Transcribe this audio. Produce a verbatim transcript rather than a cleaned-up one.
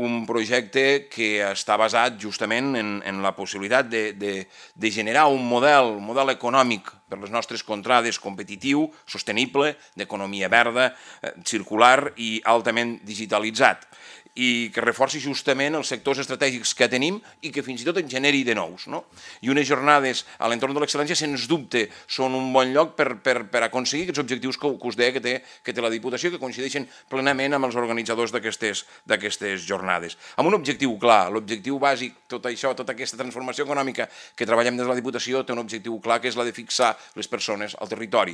Un projecte que està basat justament en, en la possibilitat de, de, de generar un model, un model econòmic per les nostres contrades competitiu, sostenible, d'economia verda, eh, circular i altament digitalitzat, i que reforci justament els sectors estratègics que tenim i que fins i tot en generi de nous. No? I unes jornades a l'entorn de l'excel·lència, sens dubte, són un bon lloc per, per, per aconseguir aquests objectius que, que us deia que té, que té la Diputació, que coincideixen plenament amb els organitzadors d'aquestes jornades. Amb un objectiu clar, l'objectiu bàsic, tot això, tota aquesta transformació econòmica que treballem des de la Diputació té un objectiu clar, que és la de fixar les persones al territori,